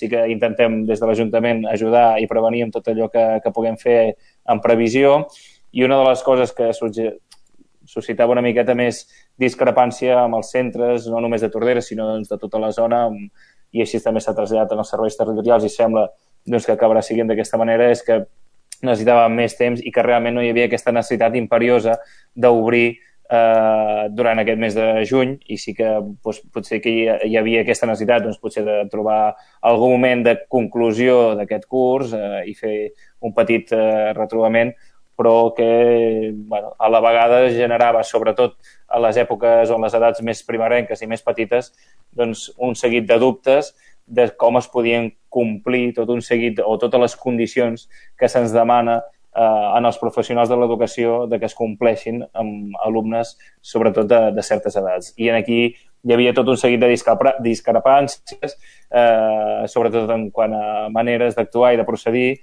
sí que intentem des de l'Ajuntament ajudar i prevenir amb tot allò que puguem fer en previsió. I una de les coses que suscitava una miqueta més discrepància amb els centres, no només de Tordera, sinó doncs, de tota la zona, i així també s'ha traslladat en els serveis territorials i sembla doncs, que acabarà siguent d'aquesta manera, és que necessitàvem més temps i que realment no hi havia aquesta necessitat imperiosa d'obrir durant aquest mes de juny, i sí que doncs, potser que hi havia aquesta necessitat doncs, potser de trobar algun moment de conclusió d'aquest curs i fer un petit retrobament, però que bueno, a la vegada generava, sobretot a les èpoques o en les edats més primerenques i més petites, doncs, un seguit de dubtes de com es podien complir tot un seguit o totes les condicions que se'ns demana en els professionals de l'educació de que es compleixin amb alumnes, sobretot de certes edats. I aquí hi havia tot un seguit de discrepàncies, sobretot en quant a maneres d'actuar i de procedir,